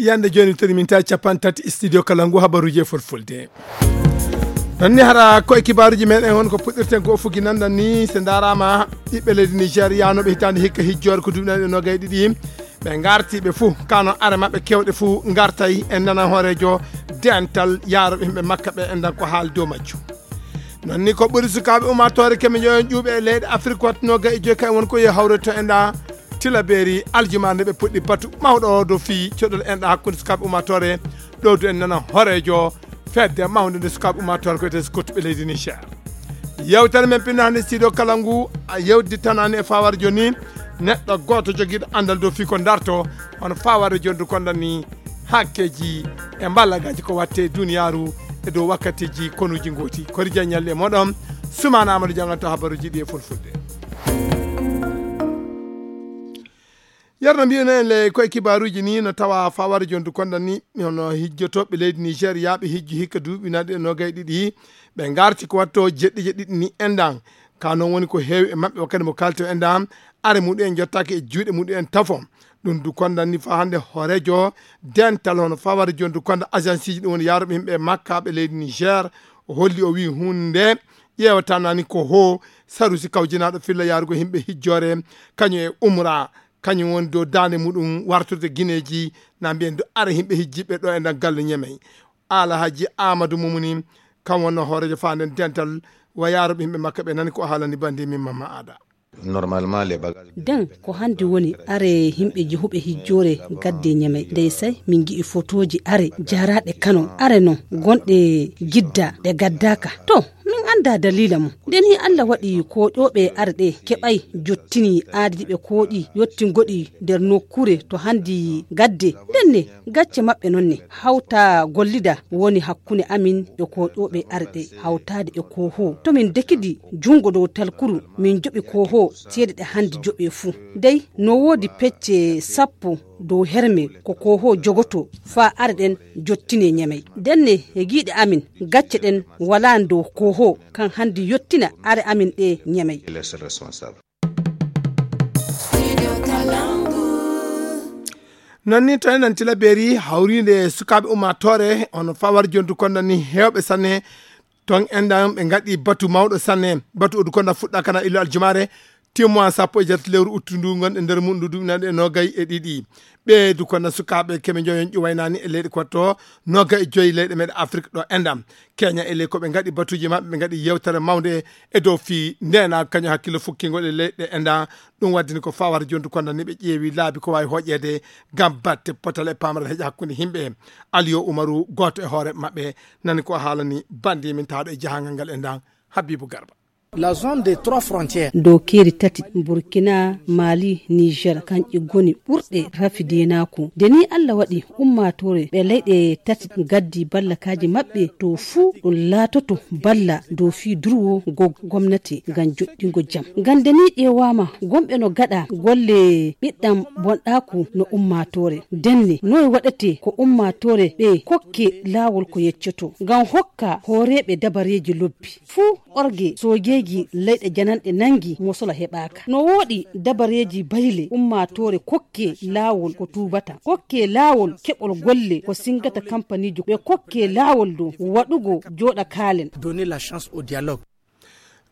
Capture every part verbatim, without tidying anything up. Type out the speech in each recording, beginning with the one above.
Yande jooni, tori min tawi capanɗe tati studio kala ngu habaruuji e fulfulde. Ɗon ni hara koye kibaaruuji meɗen, on ko puɗɗirten ko fugi nandan ni, so ndaaraama ɓiɓɓe leydi Nigeria no ɓe hitaande hikka hijjoore ko duuɓi nayi e noogay ɗiɗi. Ɓe ngarti ɓe fuu, kano are maɓɓe kewɗe fuu ngartay en nana hooreejo dental yaarooɓe yimɓe makka ɓe, en dan ko haal dow majjum. Non ni ko ɓuri sukaaɓe ummaatoore keme joyon ƴuuɓe e leyɗe Afrik wattunoo ga e joyi kay won ko yo hawre to enɗa Tilaberi aljumaa nde ɓe puɗɗi batu mawɗo o dow fii coɗol enɗa hakkunde sukaaɓe ummaatoore. Ɗo du en nana horeejo fedde mawnde nde sukaaɓe ummaatoore ko etee sukottuɓe leydi Niger. Yewtere men pinno hannde studio kala ngu a yewditanani e fawarjo ni neɗɗo gooto jogiiɗo anndal dow fii ko darto hono fawarjo ndu kondan ni hakkeeji e mballagaaji ko watte e duniyaaru e dow wakkatiiji konuuji ngooti. Kori Jean ñalli e moɗon, Sumaana Amadou jannganto habaruuji ɗi e fulfulde. Yerno mbi'uno en le koye kibaaruuji ni no tawa fawarjo ndu kondan ni hono hijjotooɓe leydi Nigeria ɓe hijji hikka duuɓi naɗi e noogay ɗiɗi ɓe ngarti ko watto jeɗɗi jeɗɗi ni endan. Ka non woni ko heewi e maɓɓe wakkati mo kalto endan are muɗum en jottaaki e juuɗe muɗum en tafo. Ɗum du kondan ni faa hannde hooreejo dental hono fawari jooni du konda agence ji ɗum woni yaaruɓe yimɓe e makka ɓe leydi Niger. O holli o wii huunde nde ƴeewata nani ko hoo sarusi kawjinaaɗo filla yaarugo yimɓe hijjoore kañum e umra kañum woni dow daande muɗum wartude gineeji na mbiyen du ara yimɓe hijjiɓe ɗo e nder galle ñemey. Alhaji Amadou Mumuni kam wonno hooreejo faa nden dental wa yaaruɓe yimɓe makka ɓe nani ko o haalani bandi min mamma aada. Normalement les bagages. Den ko hannde woni are yimɓe jehuɓe hijjoore gadde ñamey. Dey say min ngi'i fotooji are jaaraaɗe kano are non gonɗe gidda ɗe gaddaaka. To min annda daliila mum. Nden hi Alla waɗi kooƴooɓe are ɗe keɓay jottini aadi ɗi ɓe kooƴi yottingoɗi nder nokkuure to hanndi gadde. Nden ne gacce maɓɓe non ne hawta gollida woni hakkunde amin e kooƴooɓe are ɗe hawtaade e koohoo. To min dekidi junngo dow talkuru min joɓi koohoo ceede ɗe hanndi joɓee fuu. Dey no woodi pecce sappo dow herme ko koohoo jogotoo faa are ɗen jottinee ñamey. Nden ne e giiɗe amin gacce ɗen walaa dow koohoo kan hanndi yottina are amin ɗe ñamey. Non ni to enen Tilaberi hawriinde e sukaaɓe ummaatoore on fawar jondu konda ni heewɓe sanne. Ton enɗan ɓe ngaɗi batu mawɗo sanne. Batu odu konda fuɗɗa kana illo aljumaare timmoa sappo e jeetati lewru uttu ndu gonɗe nder mum ndu duuɓinaɗe e noogay e ɗiɗi. Ɓeedu konda sukaaɓe keme joyon ƴuwaynani e leyɗe kotto noogay e joyi leyɗe meɗe Afrik ɗo enɗan. Keña e ley ko ɓe ngaɗi batuji maɓɓe ɓe ngaɗi yewtere mawnde e dow fii ndena kañum hakkillo fukkingol e leyɗe enɗan. Ɗum waddini ko fawar jondu konda ni ɓe ƴeewi laabi ko wawi hoƴede ngam batte potal e pamral heƴa hakkunde himɓe. Aliyo Umaru gooto e hoore maɓɓe nani ko haalani bandi min tawɗo e jahangal ngal enɗan. Habibu Garba. La zone des trois frontières. Dow keeri tati Burkina, Mali, Niger kanƴe goni ɓurɗe rafi denaku. Nde ni Allah waɗi ummaatoore ɓe leyɗe tati gaddi ballakaaji maɓɓe to fuu ɗum laatoto balla dow fii durwo go gomnati ngam joɗɗingo jam. Ngam nde ni ƴeewaama gomɓe no gaɗa golle ɓiɗɗam bonɗaaku no ummaatoore. Ndenne noy waɗete ko ummaatoore ɓe kokke laawol ko yeccoto ngam hokka hooreeɓe dabareeji lobbi. Fuu orge soojeeji leyɗe jananɗe nanngi mosola heɓaaka. No wooɗi dabareeji bayle ummaatoore kokke laawol ko tuubata. Kokke laawol keɓol golle ko singata kampaniijo ɓe kokke laawol dow waɗugo jooɗa kaalen. Donner la chance au dialogue.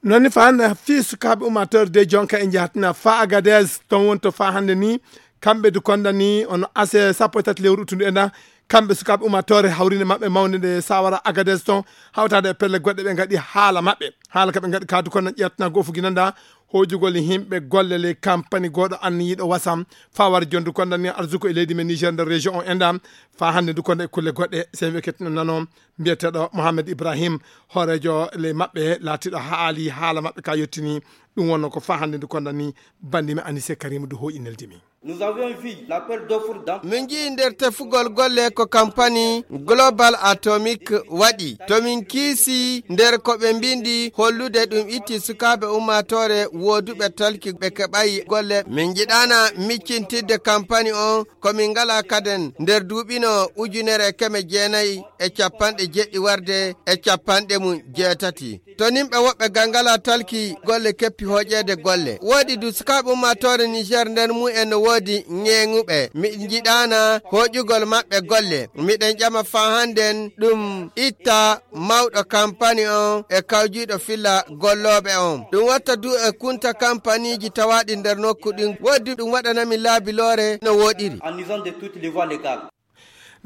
Noon ni faa hannde fii sukaaɓe ummaatoore de jonka e njahatina faa Agadez toon woni to faa hannde ni kamɓe du konda ni ono ase sappo e tati lewru uttundu e nda. Kamɓe sukaaɓe ummaatoore hawrinde maɓɓe mawnde nde sawara Agadez toon hawtaade e pelle goɗɗe ɓe ngaɗi haala maɓɓe. Haala ka ɓe ngaɗi kaadu kono ƴettana goo fugi nanda hoojugol himɓe golle ley kampani gooɗo anniyiiɗo wasam faa wara jondu konda ni arsuko e leydi men Niger nder région o enɗan. Faa hannde du konda e kulle goɗɗe sey ɓe kettino nano mbiyeteeɗo Mohamed Ibrahim hooreejo ley maɓɓe laatiiɗo haali haala maɓɓe ka yottini. Ɗum wonno ko faa hannde du konda ni bandi mi Anise Karim du hooƴi neldi mi. Nous avions vu l'appel d'offres dans Min nji'i nder tefugol golle ko kampani Global Atomic waɗi. To min kiisi nder ko ɓe mbindi hollude ɗum itti sukaaɓe ummaatoore wooduɓe talki ɓe keɓayi golle. Min njiɗaana miccintidde kampani on ko min ngala kaden nder duuɓi no ujunere e keme jeenayi e capanɗe jeɗɗi warde e capanɗe mum jeetati. To nimɓe woɓɓe gal ngala talki golle keppi hooƴeede golle. Woodi du sukaaɓe ummaatoore Niger nder mumen no woodi ŋeeŋuɓe. Mi jiɗaana hooƴugol maɓɓe golle. Miɗen ƴama faa hannden ɗum itta mawɗo kampani on e kawjiiɗo filla gollooɓe on. Ɗum watta du e kunta kampaniiji tawaaɗi nder nokku ɗin. Woodi ɗum waɗanami laabi loore no wooɗiri. En usant de toutes les voies légales.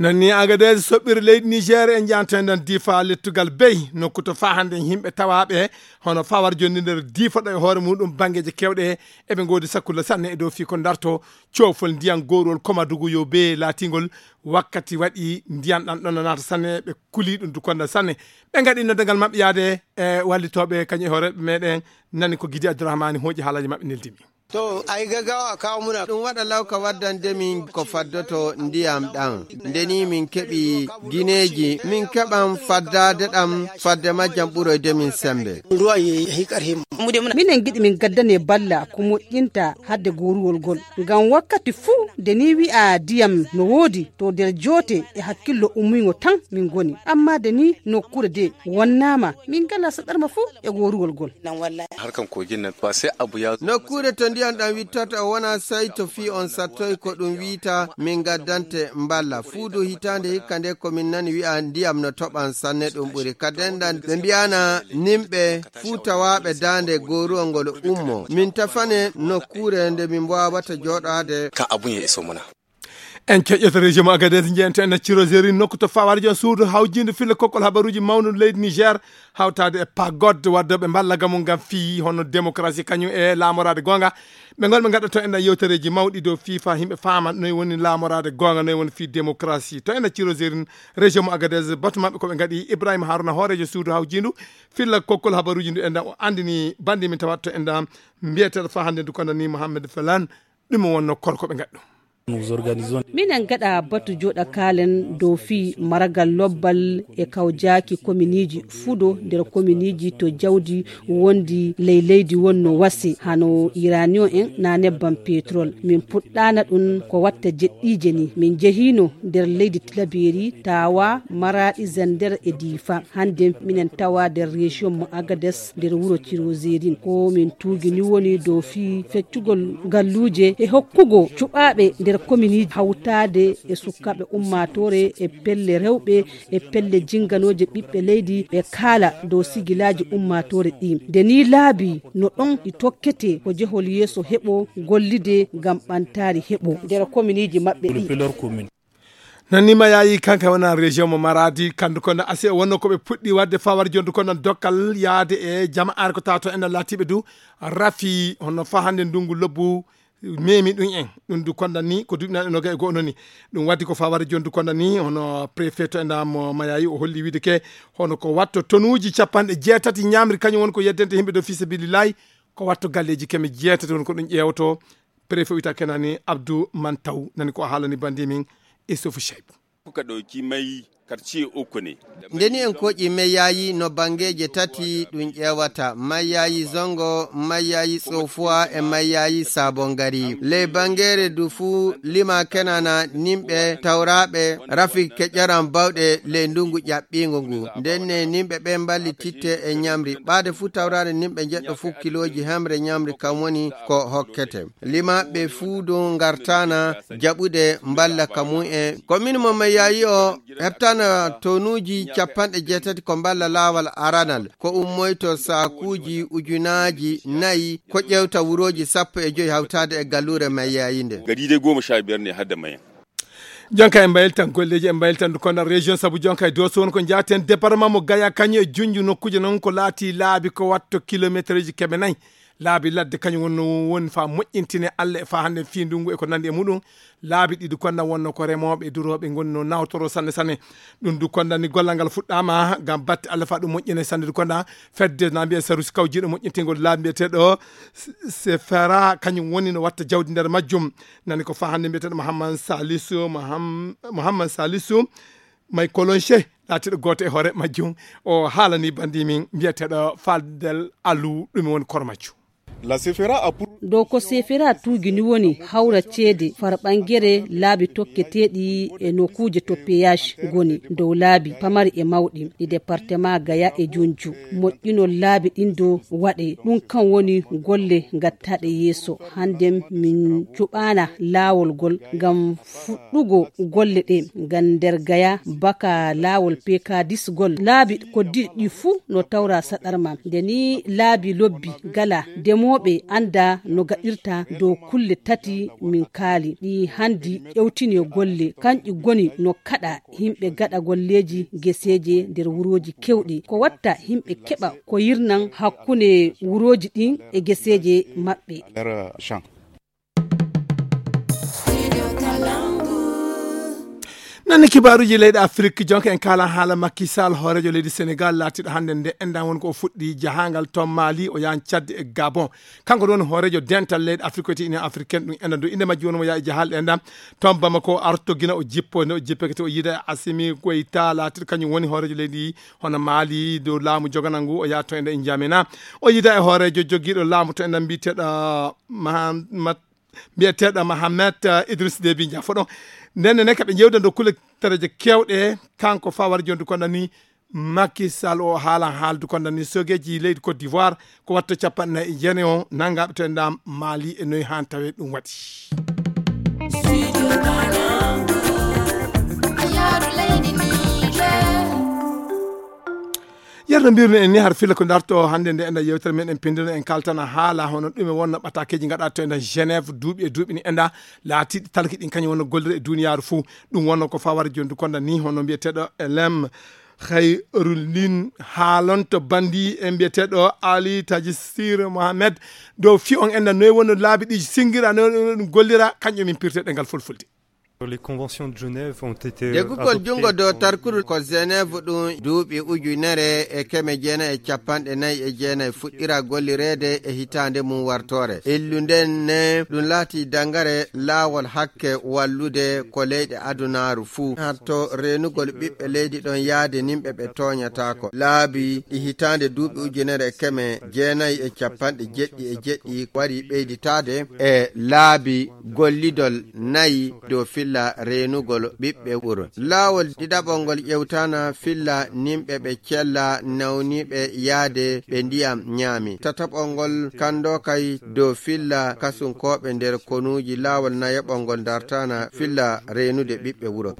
Non ni Agadez soɓɓiri leydi Niger e njanten ɗon Difa lettugal bey nokku to faa hannde yimɓe tawaaɓe hono fawar jonndi nder Difa ɗo e hoore muɗum banngeeji keewɗe eɓe ngoodi sakkulla sanne e dow fii ko darto coofol ndiyan gowrol Komadugu yo bee laatingol wakkati waɗi ndiyan ɗan ɗon naata sanne ɓe kuli ɗum dukonda sanne ɓe ngaɗi noddagal maɓɓe yaade e wallitooɓe kañum e hoore meɗen nani ko Gidi Abdourahmane hooƴi haalaji maɓɓe neldimi. To ay gaggawa a kawo muna. Ɗum waɗa law ka waddande min ko faddoto ndiyam ɗam. Nde ni min keɓi gineeji, min keɓan faddaade ɗam fadde majjam ɓuroyde min sembe. Ruwan ya yi ƙarfin mu. Minen giɗi min gaddane balla ko moƴƴinta hadde goruwol gol. Ngam wakkati fuu nde ni wi'a ndiyam no woodi to nder joote e hakkillo ummingo tan min ngoni. Amma nde ni nokkure de wonnaama min ngala saɗarma fuu e goruwol gol. Nan wallahi. Harkan kogin nan ba sai abu ya. Nokkuure to ndiyam ɗam wittorta o wona sey to fii on sattoy ko ɗum wiita min gaddante mballa. Fuudu hitaande hikka nde ko min nani wi'a ndiyam no toɓan sanne ɗum ɓuri. Ka dendan ɓe mbi'ana nimɓe fuu tawaaɓe daande goruwol ngol ummo. Min tafane nokkuure nde min mbaawata jooɗaade. Kan abun ya iso muna. En keƴƴoto région mo Agadez njeenten e Cirozeri nokku to fawaade joon suudu hawjiinde filla kokkol habaruuji mawnude leydi Niger hawtaade e pagod waddooɓe mballa gamu ngam fii hono démocratie kañum e laamoraade goonga. Ɓe ngon ɓe ngaɗa to enɗan yewtereeji mawɗi dow fii faa yimɓe faama noy woni laamoraade goonga noy woni fii démocratie to enɗan Cirozeri région mo Agadez batu maɓɓe ko ɓe ngaɗi Ibrahima Haruna hooreejo suudu hawjiindu filla kokkol habaruuji ndu enɗan o anndini banndi min tawat to enɗan mbiyeteeɗo faa hannde ndu kondani Mohamed Felan ɗum wonno korko ɓe ngaɗɗo. Minen gaɗa batu joɗa kaalen dow fii maragal lobbal e kawjaaki kominiiji fudo nder kominiiji to jawdi wondi ley leydi wonno wasi hano iranion en na nebban petrol min puɗɗana ɗum ko watta jeɗɗiije ni min jehino nder leydi tilaberi tawa maraɗi zander e difa hande minen tawa nder région mo agades nder wuro tirozerin ko min tuugini woni dow fii feccugol galluuje e hokkugo cuɓaaɓe nder kominiiji hawtaade e sukkaaɓe ummaatoore e pelle rewɓe e pelle jinganooje ɓiɓɓe leydi ɓe kaala dow sigilaaji ummaatoore ɗi nde ni laabi no ɗon ɗi tokkete ko jehol yeeso heɓo gollide ngam ɓantaari heɓo nder kominiiji maɓɓe ɗi. Nanni ma yaayi kanka wona région mo maradi kandu kono asi wonno ko ɓe puɗɗi wadde fawar jondu kono dokkal yaade e jama'are ko tato enen latiɓe du rafi hono fa hande ndungu lobbu memi ɗum en ɗum du konda ni ko duɓi nanɗe noga e go'o noni ɗum waddi ko fawar jondu konda ni hono préfet to enda mo mayayi o holli wiide ke hono ko watto tonuji capanɗe jeetati ñamri kañum woni ko yeddente yimɓe do fi sabilillahi ko watto galleji keme jeetati woni ko ɗum ƴeewto préfet wiyata kenani abdou mantaw nani ko haalani bandi min isufu cheybu. Kuka ɗauki mai karce uku ne. Nde ni en koƴi mayayi no bangeeje tati ɗum ƴeewata mayayi zongo mayayi tsofuwa e mayayi sabon gari ley bangeere du fuu lima kenana nimɓe tawraaɓe rafi keƴaran bawɗe ley ndungu ƴaɓɓiingo ngu ndenne nimɓe ɓe mballititte e ñamri ɓaade fuu tawraade nimɓe njeɗɗo fuu kilooji hemre ñamri kam woni ko hokkete. Lima ɓe fuu dow ngartaana jaɓude mballa ka mum en. Ko min mo Mayayi o heɓtana tonuuji capanɗe jeetati ko mballa laawal aranal ko ummoyto saakuuji ujunaaji nayi ko ƴeewta wurooji sappo e joyi hawtaade e galluure Mayayi nde. Gari dai goma sha biyar ne har da mayan. Jonka e mbayiltan golleji e mbayiltan du konda région sabu jonka e doso won ko jaten département mo gaya kañum e junju nokkuje noon ko laati laabi ko watto kilométreji keɓe nayi laabi ladde kañum wonno woni fa moƴƴintine allah e fa hande fi ndungu e ko nandi e muɗum laabi ɗiɗi konda wonno ko remoɓe e duroɓe gonno nawtoro sanne sanne ɗum du konda ni gollal ngal fuɗɗama gam batte allah fa ɗum moƴƴine sanne du konda fedde na mbiya sarusi kawjiɗo moƴƴintingol laabi mbiyeteɗo sefera kañum woni no watta jawdi nder majjum nani ko fa hannde mbiyeteɗo mohammad salisu mohammad salisu may kolonche laatiɗo gooto e hoore majjum o haalani bandi min mbiyeteɗo faldel alu ɗum woni koro majjum. Dow ko sefera tuugi ni woni hawra ceede farɓangere laabi tokketeeɗi e nokkuuje to peyaas ngoni dow laabi pamari e mawɗi ɗi departement Gaya e Junju. Moƴƴinol laabi ɗin dow waɗe ɗum kan woni golle gattaaɗe yeeso. Hannden min cuɓaana laawol gol ngam fuɗɗugo golle ɗe ngam nder Gaya baka laawol peekadisgol laabi ko diɗɗi fuu no tawra saɗarma. Nde ni laabi lobbi gala demooɓe annda no gaɗirta dow kulle tati min kaali ɗi hanndi ƴewtini golle kanƴi ngoni no kaɗa yimɓe gaɗa golleeji geseeje nder wurooji kewɗi ko watta yimɓe keɓa ko yirnan hakkunde wurooji ɗin e geseeje maɓɓe. Nanni kibaaruuji leyɗe Afrik jonka en kaalan haala Macky Sall hooreejo leydi Senegal laatiiɗo hannde nde enɗan woni ko o fuɗɗi jahaangal to Mali o yahan Tchad e Gabon. Kanko ɗum woni hooreejo dental leyɗe Afrik ko wiyetee Union Africaine ɗum enɗan dow innde majji woni mo yaha e jahaale ɗe enɗan to Bamako arto Gine o jippo nde o jippeke to o yiida e Assimi Goïta laatiiɗo kañum woni hooreejo leydi hono Mali dow laamu joganal ngu o yaha to enɗan e Njamena o yiida e hooreejo jogiiɗo laamu to enɗan mbiyeteeɗo Mahamat mbiyeteeɗo Mahamet Idriss Déby Ndiaye foɗo ndenne ne kaɓe jewde dow kulle tareje kewɗe kanko fawar jondu kono ni Macky Sall o haalan haaldu kono ni sogeji leydi Côte d'Ivoire ko watta capanɗe nayi e jeenayi o nangaɓe to e ndam Mali e noyi han tawe ɗum waɗi. Yerno mbirno en ni har filla ko darto hannde nde enda yewtere men en pindino en kaltana haala hono ɗume wonno ɓatakeji gaɗa to enda Genève duuɓi e duuɓi ni enda laatiɗi talki ɗin kañum wonno gollira e duniyaaru fuu. Ɗum wonno ko fawar jondu konda ni hono mbiyeteɗo Elem Khairulin haalonto bandi e mbiyeteɗo Ali Tajisir Mohamed dow fi on enda noy wonno laabi ɗi singira noy ɗum gollira kañum min pirteɗe ngal fulfulde. Deggugol junngo dow tarkuru ko Genève ɗum duuɓi ujunere e keme jeenayi e capanɗe nayi e jeenayi fuɗɗira gollireede e hitaande mum wartoore. Illu nden ne ɗum laati dangare laawol hakke wallude ko leyɗe adunaaru fuu. Hatto reenugol ɓiɓɓe leydi ɗon yaade nimɓe ɓe tooñataako. Laabi ɗi hitaande duuɓi ujunere e keme jeenayi e capanɗe jeɗɗi e jeɗɗi wari ɓeyditaade e laabi gollidol nayi dow filla reenugol ɓiɓɓe wuro. Laawol ɗiɗaɓol ngol ƴewtana filla nimɓe ɓe cella nawniiɓe yaade ɓe ndiyam ñaami. Tataɓol ngol kanndo kay dow filla kasunkooɓe nder konuuji. Laawol nayaɓol ngol dartana filla reenude ɓiɓɓe wuro.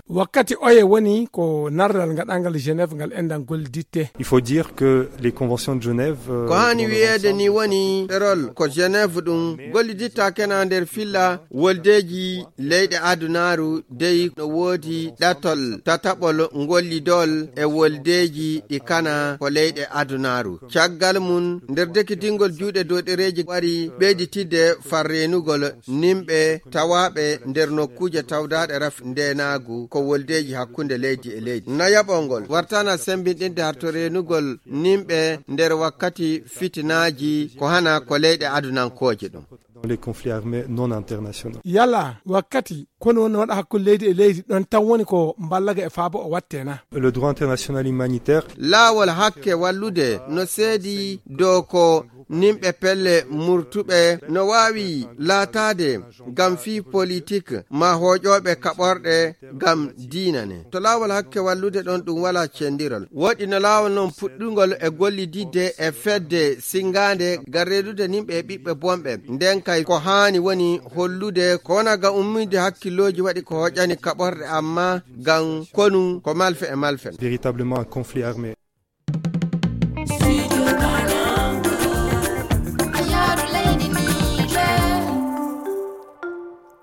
Wakkati oye woni ko narral ngaɗangal Genève ngal enɗan golliditte. Il faut dire que les conventions de Genève. Ko haani wiyeede ni woni ɗerol ko Genève ɗum golliditta kena nder filla woldeeji leyɗe adunaaru dey no woodi ɗatol tataɓol ngollidol e woldeeji ɗi kana ko leyɗe adunaaru. Caggal mum nder dekkitingol juuɗe dow ɗereeji wari ɓeyditidde far reenugol nimɓe tawaaɓe nder nokkuuje tawdaaɗe raf ndeenaagu ko woldeeji hakkunde leydi e leydi. Nayaɓol ngol wartana semmbinɗinde harto reenugol nimɓe nder wakkati fitinaaji ko hana ko leyɗe adunankooje ɗum. Dans les conflits armés non internationaux. Yala wakkati kono woni waɗa hakkunde leydi e leydi ɗon tan woni ko mballaga e faabo o watte na. Le droit international humanitaire. Laawol hakke wallude no seedi dow ko nimɓe pelle murtuɓe no waawi laataade ngam fii politik ma hooƴooɓe kaɓorɗe ngam diina ne. To laawol hakke wallude ɗon ɗum wala cendiral. Woɗɗi no laawol non puɗɗungol e gollididde e fedde singaande ngam reedude nimɓe e ɓiɓɓe bonɓe. Nden kay ko haani woni hollude ko wona ngam ummiinde hakkillooji waɗi ko hoƴani kaɓorɗe amma ngam konu ko malfe e malfe. Véritablement un conflit armé.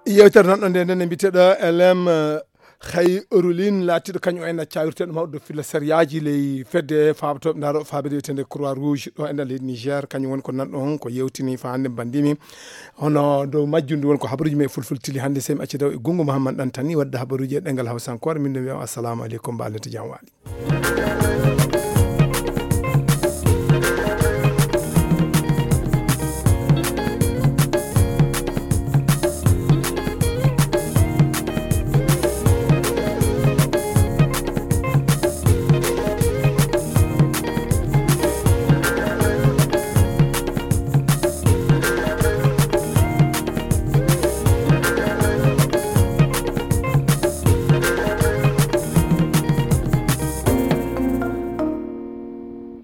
Yewtere nan ɗo nde nden e mbiteɗo L M Khayrulin laatiɗo kañum o enna cawirteɗo mawɗo dow filla sariyaji ley fedde faabatooɓe ndaaro faabede wiyetende Croix Rouge ɗo enɗan leydi Niger kañum woni ko nan ɗon ko yewtini fa hannde mbandimi hono dow majjum ndu woni ko habaruji men e fulfulde tili hannde semi acci daw e gungu Mouhammad Ɗantani wadde habaruji e ɗengal hawsankore min no wiyam assalamu aleykum mbalente jam waali.